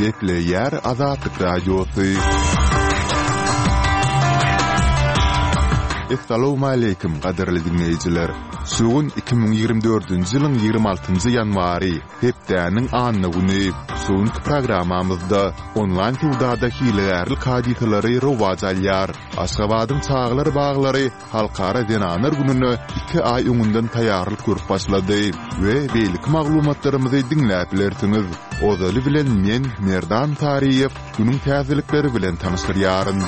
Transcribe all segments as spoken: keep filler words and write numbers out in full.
Gepleýär Azatlyk Radiosy. Essalawmaleýkim, gadyrly diňleýjiler! Şu gün iki müň ýigrimi dördünji ýylyň ýigrimi altynjy ýanwary, hepdäniň anna güni. Şu günki programmamyzda onlaýn söwdada hilegärlik hadysalary rowaç alýar. Aşgabadyň çagalar baglary Halkara zenanlar gününe iki aý öňünden taýýarlyk görüp başlady we beýleki maglumatlarymyzy diňläp bilersiňiz. Ozaly bilen men, Merdan Saryýew, günüň täzelikleri bilen tanyşdyrýaryn.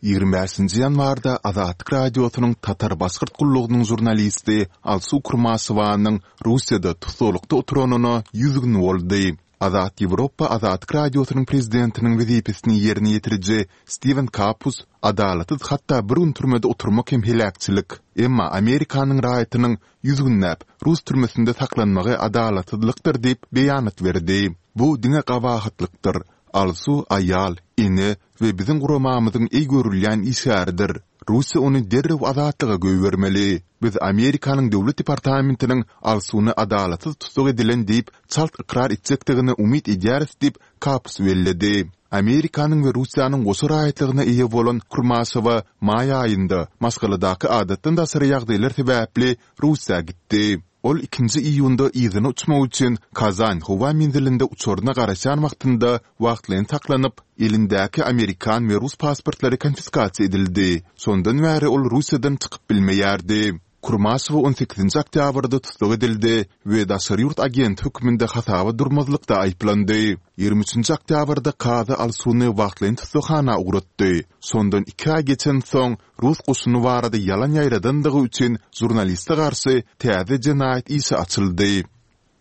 Ýigrimi bäşinji ýanwarda Azatlyk Radiosynyň Tatar-Başgyrt gullugynyň žurnalisti Alsu Kurmaşewanyň Russiýada tussaglykda oturanyna ýüz gün boldy. Azat Ýewropa Azatlyk Radiosynyň prezidentiniň wezipesini ýerine ýetiriji Stiwen Kapus, Adalatsyz hatda bir gün türmede oturmak hem heläkçilik. Emma Amerikanyň raýatynyň ýüz günläp rus türmesinde saklanmagy adalatsyzlykdyr diýip beýanat berdi. Bu diňe gabahatlykdyr. Alsu aýal, ene we biziň guramamyzyň eý görülýän işgäridir. Russiýa ony derrew azatlyga goýbermeli. Biz Amerikanyň Döwlet departamentiniň Alsuny adalatsyz tussag edilen diýip çalt ykrar etjekdigine umyt edýäris diýip, Kapus belledi. Amerikanyň we Russiýanyň goşa raýatlygyna eýe bolan Kurmaşewa maý aýynda maşgaladaky adatdan daşary ýagdaýlar sebäpli Russiýa gitdi. Ol ikinji iýunda yzyna uçmak üçin Kazan howa menzilinde uçaryna garaşýan wagtynda wagtlaýyn saklanyp, elindäki amerikan we rus pasportlary konfiskasiýa edildi. Şondan bäri ol Russiýadan çykyp bilmeýärdi. Kurmaşewa on sekizinji oktýabrda tussag edildi we daşary ýurt agenti hökmünde hasaba durmazlykda aýyplandy. Ýigrimi üçünji oktýabrda kazy Alsuny wagtlaýyn tussaghana ugratdy. Şondan iki aý geçensoň, rus goşuny barada ýalan ýaýradandygy üçin žurnaliste garşy täze jenaýat işi açyldy.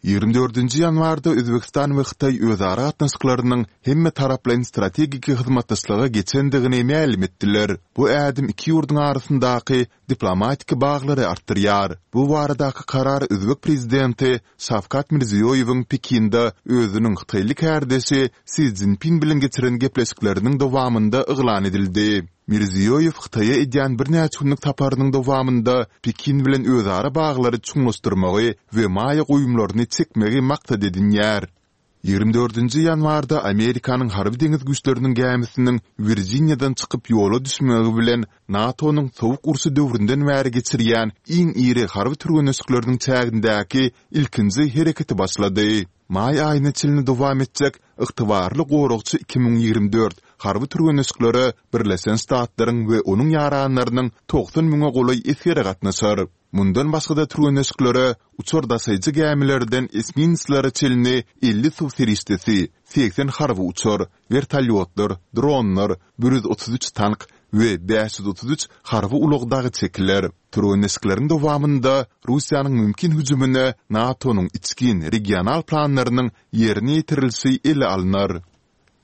Ýigrimi dördünji ýanwarda Özbegistan we Hytaý özara gatnaşyklarynyň hemmetaraplaýyn strategik hyzmatdaşlyga geçendigini mälim etdiler. Bu ädim iki ýurduň arasyndaky diplomatik baglary artdyrýar. Bu baradaky karar özbek prezidenti Şawkat Mirziýoýewiň Pekinde özüniň hytaýly kärdeşi Si Szinpin bilen geçiren gepleşikleriniň dowamynda yglan edildi. Mirziýoýew Hytaýa edýän birnäçe günlük saparynyň dowamynda Pekin bilen özara baglary çuňlaşdyrmagy we maýa goýumlaryny çekmegi maksat edinýär. Ýigrimi dördünji ýanwarda Amerikanyň Harby-deňiz güýçleriniň gämisiniň Wirjiniýadan çykyp ýola düşmegi bilen NATO-nyň Sowuk urşy döwründen bäri geçirýän iň iri harby türgenleşikleriniň çägindäki ilkinji hereketi başlady. Maý aýyna çenli dowam etjek Ygtybarly goragçy iki müň ýigrimi dört harby türgenleşiklere Birleşen Ştatlaryň we onuň ýaranlarynyň togsan müňe golaý esgeri gatnaşar. Mundan başga-da türgenleşiklere uçar daşaýjy gämilerden esminslere çenli elli suw serişdesi, segsen harby uçar, wertolýotlar, dronlar, bir ýüz otuz üç tank we bäş ýüz otuz üç harby ulag dagy çekiler. Türgenleşikleriň dowamynda Russiýanyň mümkin hüjümine NATO-nyň içgin regional planlarynyň ýerine ýetirilişi ele alnar.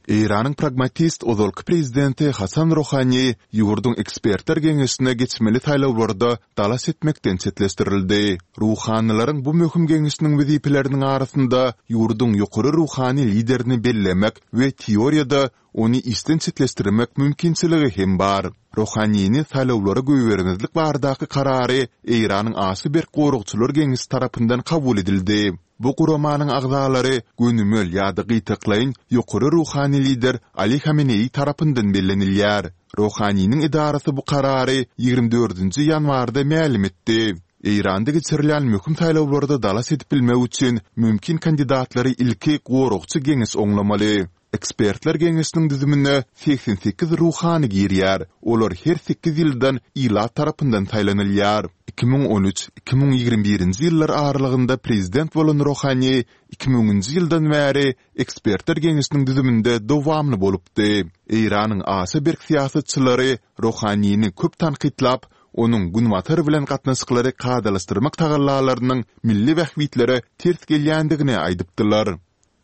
Eýranyň pragmatist ozalky prezidenti Hasan Rohani ýurduň ekspertler geňeşine geçmeli saýlawlarda dalaş etmekden çetleşdirildi. Ruhanylaryň bu möhüm geňeşiniň wezipeleriniň arasynda ýurduň ýokary ruhany liderini bellemek we teoriýada ony işden çetleşdirmek mümkinçiligi hem bar. Rohanini saýlawlara goýbermezlik baradaky karary Eýranyň aşa berk goragçylar geňeşi tarapyndan kabul edildi. Bu guramanyň agzalary gönümel ýa-da gytaklaýyn ýokary ruhany lider Ali Hameneýi tarapyndan bellenilýär. Rohaniniň edarasy bu karary ýigrimi dördünji ýanwarda mälim etdi. Eýranda geçirilýän möhüm saýlawlarda dalaş edip bilmek üçin mümkin kandidatlary ilki goragçy geňeş oňlamaly. Ekspertler geňeşiniň düzümine segsen sekiz ruhany girýär, olar her sekiz ýyldan ilat tarapyndan saýlanylýar. Iki müň on üç, iki müň ýigrimi birinji ýyllar aralygynda prezident bolan Rohani iki müňünji ýyldan bäri Ekspertler geňeşiniň düzüminde dowamly bolupdy. Eýranyň aşa berk syýasatçylary Rohanini köp tankytlap, onuň Günbatar bilen gatnaşyklary kadalaşdyrmak tagallalarynyň milli bähbitlere ters gelýändigini aýdypdylar.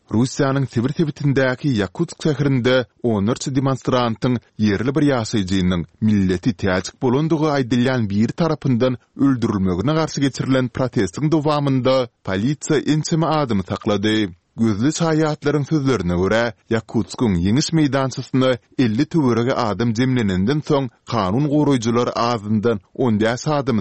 Russiýanyň Sibir sebitindäki Ýakutsk şäherinde onlarça demonstrantyň ýerli bir ýaşaýjynyň milleti täjik bolandygy aýdylýan biri tarapyndan öldürilmegine garşy geçirilen protestiň dowamynda polisiýa ençeme adamy saklady. Gözli şaýatlaryň sözlerine görä, Ýakutskyň Ýeňiş meýdançasyna elli töweregi adam jemlenenden soň kanun goraýjylar azyndan on bäş adamy